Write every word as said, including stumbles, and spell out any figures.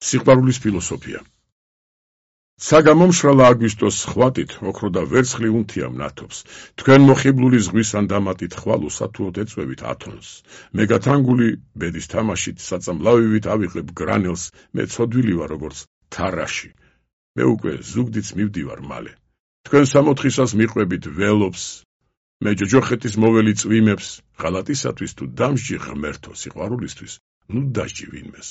სიყვარულის ფილოსოფია. საგამომშრალა აგვისტოს ხვატით, ოქრო და ვერცხლი უნთია მნათობს. თქვენ მოხიბლული ზღვის ან დამატით ხვალოს ათუოდ ეწვევით ათონს. მე გათანგული ბედის თამაშით საწამლავივით ავიღებ გრანელს, მე ცოდვილი ვარ როგორც თარაში. მე უკვე ზუგდიდს მივდივარ მალე. თქვენ სამოთხისას მიყვებით ველობს, მე ჯოჯოხეთის მოველი წვიმებს, ღალატისათვის თუ დამსჯი ღმერთო სიყვარულისთვის, ნუ დასჯი ვინმეს.